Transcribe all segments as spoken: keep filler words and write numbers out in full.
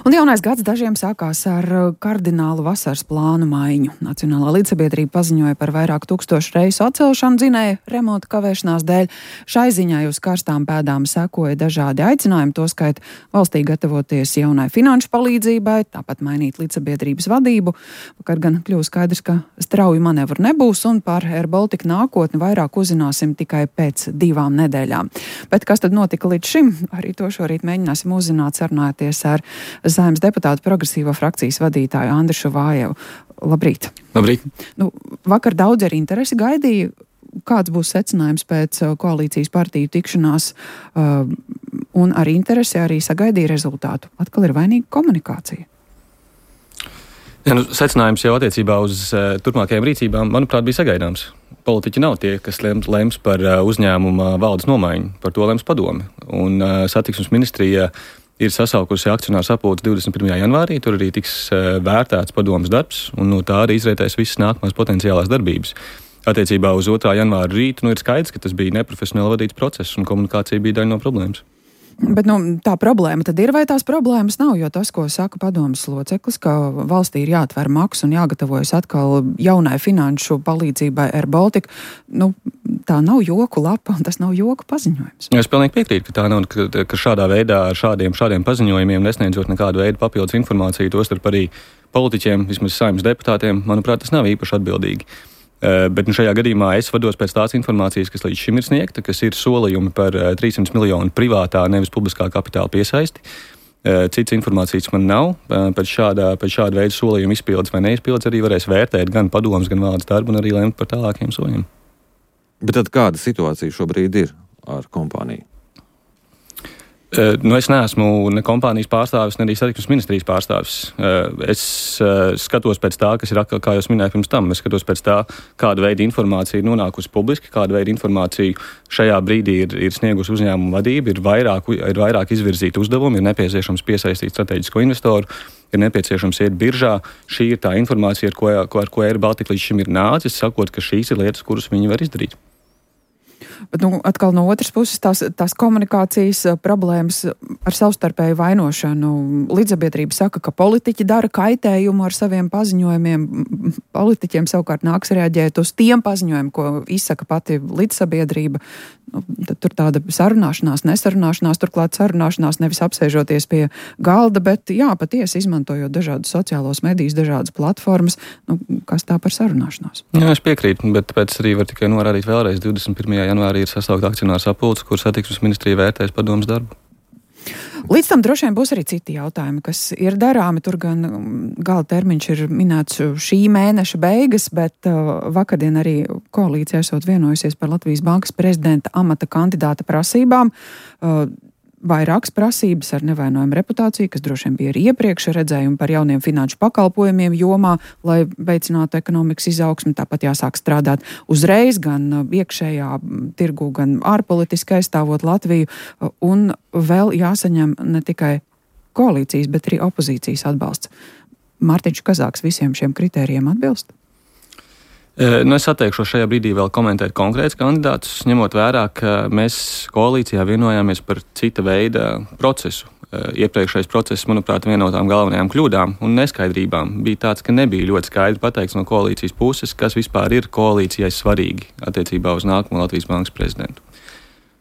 Un jaunais gads dažiem sākās ar kardinālu vasaras plānu maiņu. Nacionālā līdzsabiedrība paziņoja par vairāk tūkstošu reisu atcelšanu dzinēju remonta kavēšanās dēļ. Šai ziņai uz karstām pēdām sekoja dažādi aicinājumi, toskait valstī gatavoties jaunai finanšu palīdzībai, tāpat mainīt līdzsabiedrības vadību. Vakar gan kļūst skaidrs, ka strauju manevru nebūs, un par Air Baltica nākotni vairāk uzzināsim tikai pēc divām nedēļām. Bet kas tad notika līdz šim? Arī to šorīt mēģināsim uzzināt, sarunājoties ar Saeimas deputātu progresīvo frakcijas vadītāju Andrišu Vājevu. Labrīt! Labrīt! Nu, vakar daudz ar interesi gaidīja, kāds būs secinājums pēc koalīcijas partiju tikšanās, uh, un ar interesi arī sagaidīja rezultātu. Atkal ir vainīga komunikācija. Ja, nu, secinājums jau attiecībā uz uh, turpmākajām rīcībām, manuprāt, bija sagaidāms. Politiķi nav tie, kas lems, lems par uh, uzņēmuma valdes nomaiņu, par to lems padome. Un uh, satiksmes ministrija ir sasaukusi akcionāru sapulci divdesmit pirmajā janvārī, tur arī tiks uh, vērtēts padomes darbs, un no tā arī izrietēs visas nākamās potenciālās darbības. Attiecībā uz otrā janvāra rītu, nu ir skaidrs, ka tas bija neprofesionāli vadīts process, un komunikācija bija daļa no problēmas. Bet nu, tā problēma tad ir vai tās problēmas nav, jo tas, ko saka padomes loceklis, ka valstī ir jāatver maks un jāgatavojas atkal jaunai finanšu palīdzībai Air Baltica, nu, tā nav joku lapa un tas nav joku paziņojums. Es pilnīgi piekrītu, ka tā nav, ka, ka šādā veidā ar šādiem, šādiem paziņojumiem nesniedzot nekādu veidu papildus informāciju, tostarp arī politiķiem, vismaz Saeimas deputātiem, manuprāt, tas nav īpaši atbildīgi. Bet nu, šajā gadījumā es vados pēc tās informācijas, kas līdz šim ir sniegta, kas ir solījumi par trīssimts miljonu privātā, nevis publiskā kapitāla piesaisti. Cits informācijas man nav. Pēc šādā, pēc šāda veida solījuma izpildes vai neizpildes arī varēs vērtēt gan padomas, gan valdes darbu un arī lemt par tālākiem soļiem. Bet tad kāda situācija šobrīd ir ar kompāniju? Nu, es neesmu ne kompānijas pārstāvis, ne arī satiksmes ministrijas pārstāvis. Es skatos pēc tā, kas ir, kā jau minēju pirms tam, es skatos pēc tā, kāda veida informācija ir nonākusi publiski, kāda veida informācija šajā brīdī ir, ir sniegusi uzņēmuma vadība, ir vairāk, ir vairāk izvirzīti uzdevumi, ir nepieciešams piesaistīt strateģisko investoru, ir nepieciešams iet biržā. Šī ir tā informācija, ar ko, ar ko Air Baltica līdz šim ir nācis, sakot, ka šīs ir lietas, kuras viņi var izdarīt. Bet nu, atkal no otras puses tās, tās komunikācijas problēmas ar savstarpēju vainošanu. Līdzsabiedrība saka, ka politiķi dara kaitējumu ar saviem paziņojumiem. Politiķiem savukārt nāks reaģēt uz tiem paziņojumiem, ko izsaka pati līdzsabiedrība. Nu, tad tur tāda sarunāšanās, nesarunāšanās, turklāt sarunāšanās nevis apsēžoties pie galda, bet jā, patiesi izmantojot dažādus sociālos medijus, dažādas platformas. Nu, kas tā par sarunāšanos? Jā, es piekrītu, bet tāpēc arī var tikai norādīt vēlreiz divdesmit pirmajā janvārī ir sasaukta akcionāru sapulce, kur satiksmes ministrija vērtēs padomes darbu. Līdz tam droši vien būs arī citi jautājumi, kas ir darāmi. Tur gan gala termiņš ir minēts šī mēneša beigas, bet uh, vakardien arī koalīcija esot vienojusies par Latvijas Bankas prezidenta amata kandidāta prasībām. Uh, Vairākas prasības ar nevainojumu reputāciju, kas droši vien bija arī iepriekš redzējumi par jauniem finanšu pakalpojumiem jomā, lai veicinātu ekonomikas izaugsmi. Tāpat jāsāk strādāt uzreiz gan iekšējā tirgu, gan ārpolitiski aizstāvot Latviju. Un vēl jāsaņem ne tikai koalīcijas, bet arī opozīcijas atbalsts. Mārtiņš Kazāks visiem šiem kritērijiem atbilst? Nu, es atteikšos šajā brīdī vēl komentēt konkrētus kandidātus, ņemot vērā, ka mēs koalīcijā vienojāmies par cita veida procesu. Iepriekšējais process, manuprāt, viena no tām galvenajām kļūdām un neskaidrībām bija tāds, ka nebija ļoti skaidri pateikts no koalīcijas puses, kas vispār ir koalīcijai svarīgi attiecībā uz nākamo Latvijas Bankas prezidentu.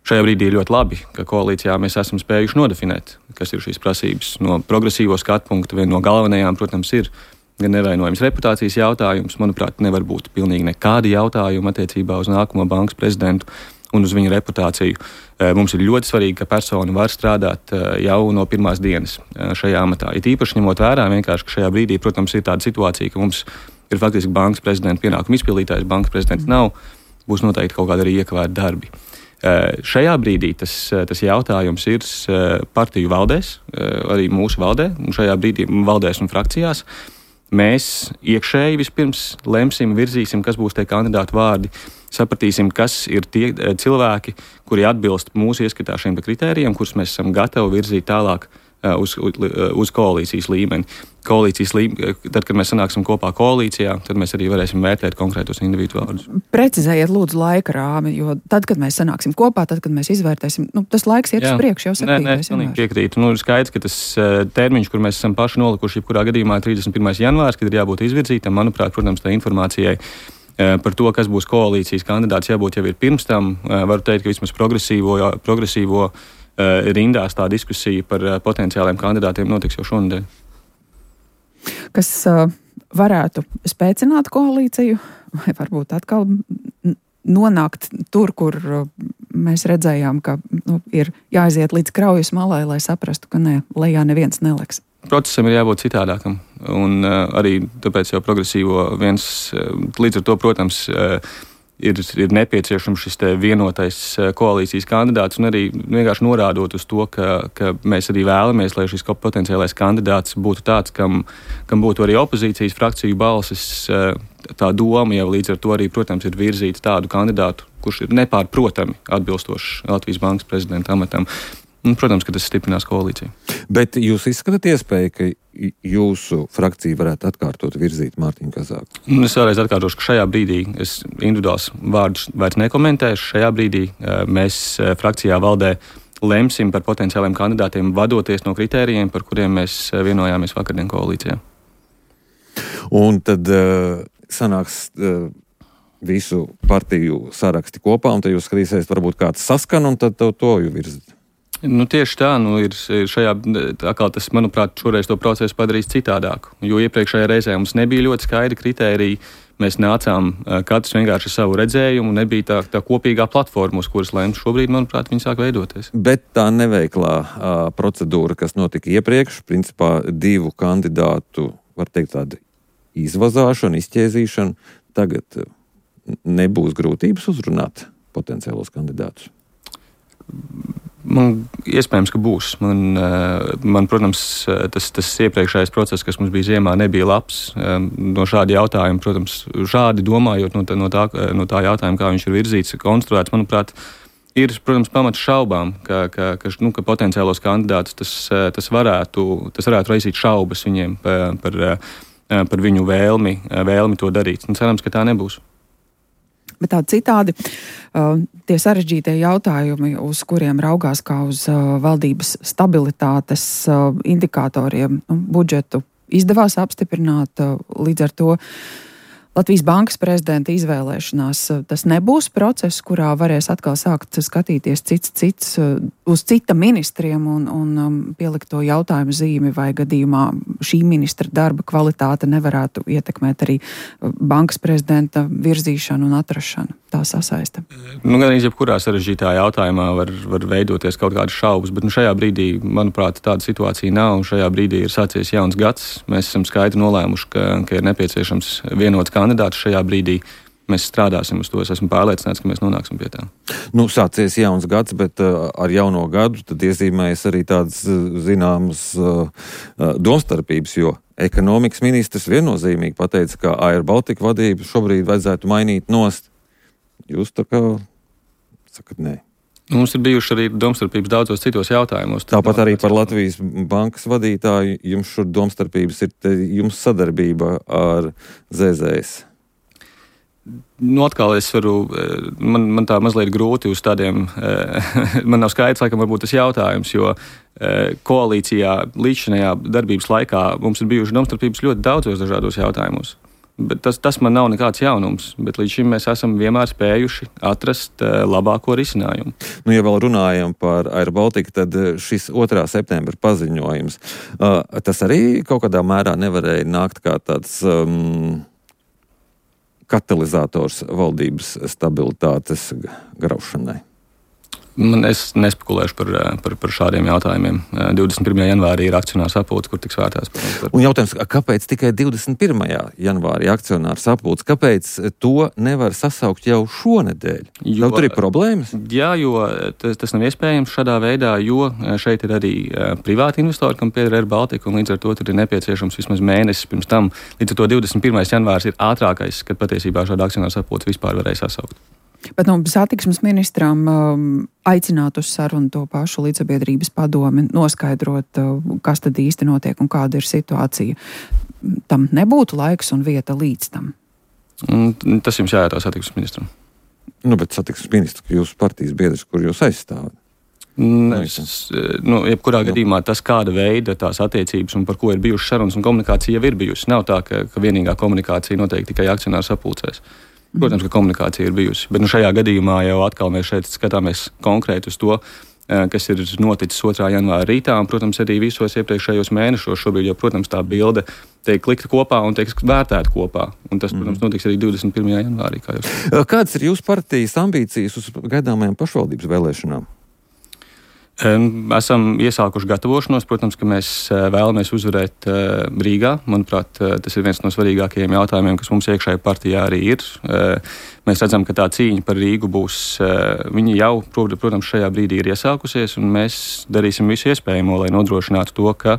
Šajā brīdī ir ļoti labi, ka koalīcijā mēs esam spējuši nodefinēt, kas ir šīs prasības. No progresīvo skatu punkta viena no galvenajām, protams, ir gan nevainojams reputācijas jautājums. Manuprāt, nevar būt pilnīgi nekādi jautājumi attiecībā uz nākamo bankas prezidentu un uz viņa reputāciju. Mums ir ļoti svarīgi, ka persona var strādāt jau no pirmās dienas šajā amatā. It īpaši ņemot vērā vienkārši, ka šajā brīdī, protams, ir tāda situācija, ka mums ir faktiski bankas prezidenta pienākuma izpildītājs, bankas prezidents nav, būs noteikti kaut kādi arī iekavēti darbi. Šajā brīdī tas, tas jautājums ir partiju valdēs, arī mūsu valdē, un šajā brīdī valdēs un frakcijās. Mēs iekšēji vispirms lemsim, virzīsim, kas būs tie kandidātu vārdi, sapratīsim, kas ir tie cilvēki, kuri atbilst mūsu ieskatā šiem kritērijiem, kurus mēs esam gatavi virzīt tālāk uz, uz koalīcijas līmeni. Koalīcijas līmeni, tad, kad mēs sanāksim kopā koalīcijā, tad mēs arī varēsim vērtēt konkrētos individu vārdus. Precizējiet lūdzu laika rāmi, jo tad, kad mēs sanāksim kopā, tad, kad mēs izvērtēsim, nu, tas laiks iet uz priekšu jau septītais janvārs. Nē, nē, piekrītu. Nu, ir skaidrs, ka tas termiņš, kur mēs esam paši nolikuši, jebkurā gadījumā trīsdesmit pirmais janvārs, kad ir jābūt izvirzītam, manuprāt, protams, tā informācijai par to, kas būs koalīcijas kandidāts, jābūt jau ir pirms tam. Varu teikt, ka vismaz progresīvo, progresīvo rindās tā diskusija par potenciāliem kandidātiem notiks jau šonadēļ. Kas uh, varētu spēcināt koalīciju, vai varbūt atkal nonākt tur, kur uh, mēs redzējām, ka nu, ir jāaiziet līdz kraujas malai, lai saprastu, ka ne, lejā neviens neliks. Procesam ir jābūt citādākam, un uh, arī tāpēc jau progresīvo viens, uh, līdz ar to, protams, uh, Ir, ir nepieciešams šis vienotais koalīcijas kandidāts, un arī vienkārši norādot uz to, ka, ka mēs arī vēlamies, lai šis potenciālais kandidāts būtu tāds, kam, kam būtu arī opozīcijas frakciju balsis. Tā doma jau līdz ar to arī, protams, ir virzīt tādu kandidātu, kurš ir nepārprotami atbilstošs Latvijas Bankas prezidenta amatam. Un, protams, ka tas stiprinās koalīciju. Bet jūs izskatāt iespēju, ka jūsu frakcija varētu atkārtot virzīt Mārtiņu Kazāku? Es vēlreiz atkārtošu, ka šajā brīdī es individuāls vārdus vairs nekomentēšu. Šajā brīdī mēs frakcijā valdē lemsim par potenciāliem kandidātiem, vadoties no kritērijiem, par kuriem mēs vienojāmies vakardien koalīcijā. Un tad uh, sanāks uh, visu partiju saraksti kopā, un tad jūs skatīsiet, varbūt kāds saskan, un tad to, to jūs virzat. Nu, tieši tā, nu, ir šajā, tā kā tas, manuprāt, šoreiz to procesu padarīs citādāk, jo iepriekšējā reizē mums nebija ļoti skaidri kritēriji, mēs nācām katrs vienkārši savu redzējumu, nebija tā, tā kopīgā platforma, uz kuras lemt. Šobrīd, manuprāt, viņi sāk veidoties. Bet tā neveiklā uh, procedūra, kas notika iepriekš, principā divu kandidātu, var teikt, tāda izvazāšana, izķēzīšana, tagad nebūs grūtības uzrunāt potenciālos kandidātus? Man iespējams, ka būs. Man, man protams, tas, tas iepriekšējais process, kas mums bija ziemā, nebija labs. No šāda jautājuma, protams, šādi domājot no tā, no tā, no tā jautājuma, kā viņš ir virzīts, konstruēts, manuprāt, ir, protams, pamats šaubām, ka, ka, ka, nu, ka potenciālos kandidātus tas, tas, varētu, tas varētu raisīt šaubas viņiem par, par, par viņu vēlmi, vēlmi to darīt. Un cerams, ka tā nebūs. Bet tādi citādi, uh, tie sarežģītie jautājumi, uz kuriem raugās kā uz uh, valdības stabilitātes uh, indikatoriem, nu, budžetu izdevās apstiprināt, uh, līdz ar to Latvijas Bankas prezidenta izvēlēšanās. Tas nebūs process, kurā varēs atkal sākt skatīties cits cits uz cita ministriem un, un pielikt to jautājumu zīmi, vai gadījumā šī ministra darba kvalitāte nevarētu ietekmēt arī bankas prezidenta virzīšanu un atrašanu. Tā sasaista. Nu, gan arī jebkurā sarežģītā jautājumā var, var veidoties kaut kādas šaubas, bet nu, šajā brīdī, manuprāt, tāda situācija nav. Šajā brīdī ir sācies jauns gads. Mēs esam skaidri nolēmuši, ka, ka ir nepieciešams vienots kandidāts šajā brīdī. Mēs strādāsim uz to. Es esmu pārliecināts, ka mēs nonāksim pie tā. Nu, sācies jauns gads, bet uh, ar jauno gadu tad iezīmējas arī tādas uh, zināmas uh, uh, domstarpības, jo ekonomikas ministrs viennozīmīgi pateica, ka Air Baltica vadību šobrīd vajadzētu mainīt nost. Jūs tā kā sakat nē. Mums ir bijuši arī domstarpības daudzos citos jautājumos. Tāpat arī par Latvijas Bankas vadītāju jums šur domstarpības ir te, jums sadarbība ar Z Z S. Nu, atkal es varu, man, man tā mazliet grūti uz tādiem, man nav skaidrs, laikam, varbūt tas jautājums, jo koalīcijā līdzšinējā darbības laikā mums ir bijuši domstarpības ļoti daudzos dažādos jautājumos. Bet tas, tas man nav nekāds jaunums, bet līdz šim mēs esam vienmēr spējuši atrast uh, labāko risinājumu. Nu, ja vēl runājam par Air Baltica, tad šis otrā septembra paziņojums, uh, tas arī kaut kādā mērā nevarēja nākt kā tāds um, katalizators valdības stabilitātes graušanai. Man es nespekulēšu par, par, par šādiem jautājumiem. divdesmit pirmajā janvārī ir akcionāru sapulce, kur tiks vērtēts. Par... Un jautājums, kāpēc tikai divdesmit pirmajā janvārī akcionāru sapulce? Kāpēc to nevar sasaukt jau šonedēļ? Jo, tur ir problēmas? Jā, jo tas, tas nav iespējams šādā veidā, jo šeit ir arī privāti investori, kam pieder Air Baltica, un līdz ar to tur ir nepieciešams vismaz mēnesis pirms tam. Līdz ar to divdesmit pirmais janvārs ir ātrākais, kad patiesībā šāda akcionāru sapulce vispār varēja sasaukt. Bet no satiksmes ministram um, aicināt uz sarunu to pašu līdzsabiedrības padomi, noskaidrot, uh, kas tad īsti notiek un kāda ir situācija. Tam nebūtu laiks un vieta līdz tam. Un tas jums jājautā satiksmes ministram. Nu, bet satiksmes ministrs, jūsu partijas biedrs, kur jūs aizstāvat? Es, nu, jebkurā Jā. gadījumā tas, kāda veida tās attiecības un par ko ir bijušas sarunas un komunikācija jau ir bijusi. Nav tā, ka, ka vienīgā komunikācija notiek tikai akcionāru sapulcēs. Protams, ka komunikācija ir bijusi, bet nu, šajā gadījumā jau atkal mēs šeit skatāmies konkrēti uz to, kas ir noticis otrā janvāra rītā, un, protams, arī visos iepriekšējos mēnešos. Šobrīd jau, protams, tā bilde tiek likta kopā un tiek vērtēta kopā, un tas, protams, notiks arī divdesmit pirmajā janvārī. Kā jūs. Kādas ir jūsu partijas ambīcijas uz gaidāmajām pašvaldības vēlēšanām? Esam iesākuši gatavošanos. Protams, ka mēs vēlamies uzvarēt Rīgā. Manuprāt, tas ir viens no svarīgākajiem jautājumiem, kas mums iekšējā partijā arī ir. Mēs redzam, ka tā cīņa par Rīgu būs, viņa jau, protams, šajā brīdī ir iesākusies, un mēs darīsim visu iespējamo, lai nodrošinātu to, ka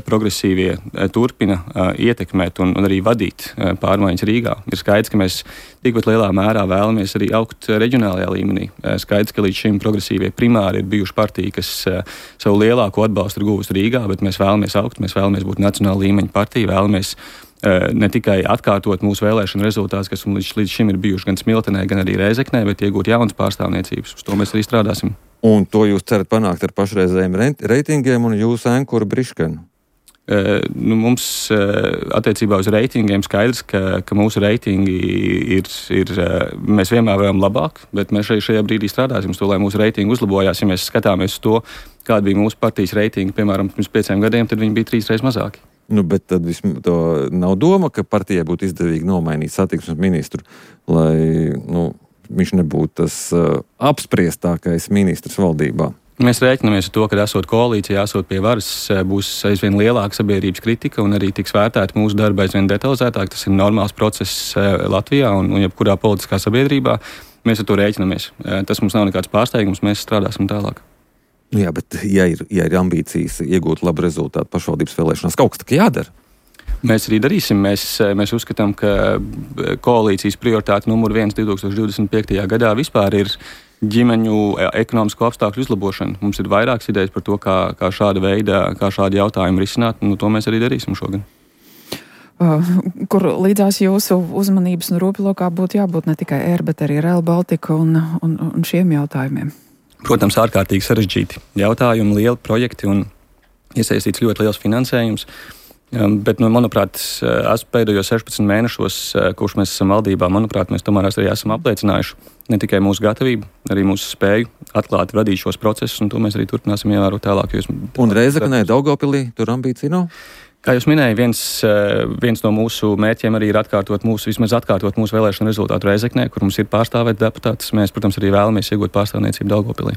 progresīvie turpina ietekmēt un, un arī vadīt pārmaiņas Rīgā. Ir skaidrs, ka mēs tikpat lielā mērā vēlamies arī augt reģionālajā līmenī. Skaidrs, ka līdz šim progresīvie primāri ir bijuši partija, kas savu lielāko atbalstu ir guvusi Rīgā, bet mēs vēlamies augt, mēs vēlamies būt nacionāla līmeņa partija, vēlamies ne tikai atkārtot mūsu vēlēšanu rezultātus, kas līdz, līdz šim ir bijuši gan Smiltenē, gan arī Rēzeknē, bet iegūt jaunas pārstāvniecības. Uz to mēs arī strādāsim. Un to jūs cerat panākt ar pašreizējiem reitingiem un jūsu ankuru Briškanu? E, nu, mums e, attiecībā uz reitingiem skaidrs, ka, ka mūsu reitingi ir, ir, mēs vienmēr varam labāk, bet mēs šeit, šajā brīdī strādāsim uz to, lai mūsu reitingi uzlabojās. Ja mēs skatāmies uz to, kāda bija mūsu partijas reitingi, piemēram, pirms pieciem gadiem, tad viņi bija trīs reizes mazāki. Nu, bet tad vismaz to nav doma, ka partijai būtu izdevīgi nomainīt satiksmes ministru, lai, nu, viņš nebūtu tas uh, apspriestākais ministrs valdībā. Mēs rēķinamies ar to, ka esot koalīcijā, esot pie varas, būs aizvien lielāka sabiedrības kritika un arī tiks vērtēta mūsu darba aizvien detalizētāk. Tas ir normāls process Latvijā un, un jebkurā politiskā sabiedrībā. Mēs ar to rēķinamies. Tas mums nav nekāds pārsteigums, mēs strādāsim tālāk. Jā, bet ja ir, ja ir ambīcijas iegūt labu rezultātu pašvaldības vēlēšanās, kaut kas tā jādara. Mēs arī darīsim. Mēs, mēs uzskatām, ka koalīcijas prioritāte numur viens divtūkstoš divdesmit piektajā gadā vispār ir ģimeņu ekonomisko apstākļu uzlabošana. Mums ir vairākas idejas par to, kā, kā šāda veida, kā šādi jautājumi risināt, un to mēs arī darīsim šogad. Uh, kur līdzās jūsu uzmanības un rūpilokā būtu jābūt ne tikai Air, bet arī Rail Baltica un, un, un šiem jautājumiem? Protams, ārkārtīgi sarežģīti jautājumi, lieli projekti un iesaistīts ļoti liels finansējums. Bet, nu, manuprāt, esmu pēdējos sešpadsmit mēnešos, kurš mēs esam valdībā, manuprāt, mēs tomēr arī esam apliecinājuši ne tikai mūsu gatavību, arī mūsu spēju atklāt, vadīt šos procesus, un to mēs arī turpināsim ievērot tālāk. Jūs... Un Rēzeknē, Daugavpilī, tur ambīcija nav? Kā jūs minēja, viens, viens no mūsu mērķiem arī ir atkārtot mūsu, vismaz atkārtot mūsu vēlēšanu rezultātu Rēzeknē, kur mums ir pārstāvēt deputātus. Mēs, protams, arī vēlamies iegūt pārstāvniecību Daugavpilī.